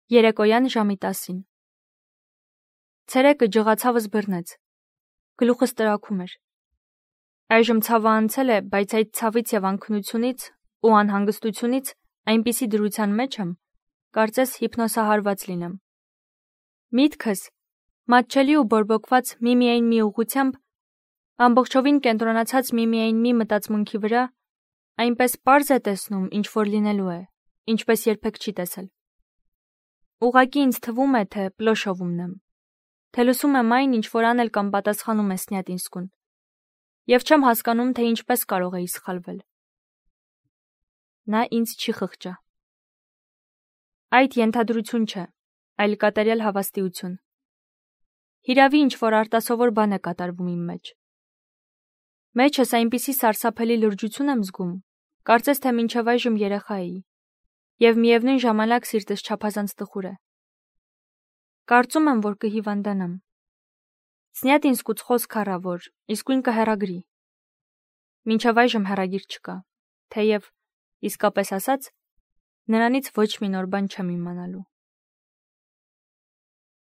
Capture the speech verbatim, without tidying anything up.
Երեկոյան ժամի տասին։ Ցերեկը ջղացավս բռնեց։ Գլուխս տրաքում էր։ Այժմ ցավը անցել է, բայց այդ ցավից եւ անքնությունից ու անհանգստությունից այնպիսի դրության մեջ եմ, կարծես հիպնոսահարված լինեմ։ Միտքս մատչելի ու բորբոքված միմիայն մի ուղղությամբ, ամբողջովին կենտրոնացած միմիայն մի մտածմունքի վրա, այնպես պարզ է տեսնում, ինչ որ լինելու է, ինչպես երբեք չի տեսել։ Ուղղակի ինձ թվում է, թե պլոշովումն եմ, թե լսում եմ այն, ինչ որ անել կամ պատասխանում է Սնյատինսկուն, եւ չեմ հասկանում, թե ինչպես կարող էի սխալվել։ Նա ինձ չի խղճա։ Այդ ենթադրություն չէ, այլ կատարյալ հավաստիություն։ Հիրավի ինչ որ արտասովոր բան է կատարվում իմ մեջ։ Մեջս այնպիսի սարսափելի լրջություն եմ զգում, կարծես թե մինչև այժմ երեխա էի, եւ միևնույն ժամանակ սիրտս չափազանց տխուր է։ Կարծում եմ, որ կհիվանդանամ։ Սնյատինսկուց խոսք առա, որ իսկույն կհեռագրի։ Մինչև այժմ հեռագիր չկա, թեև, իսկապես ասած, նրանից ոչ մի նոր բան չեմ իմանալու։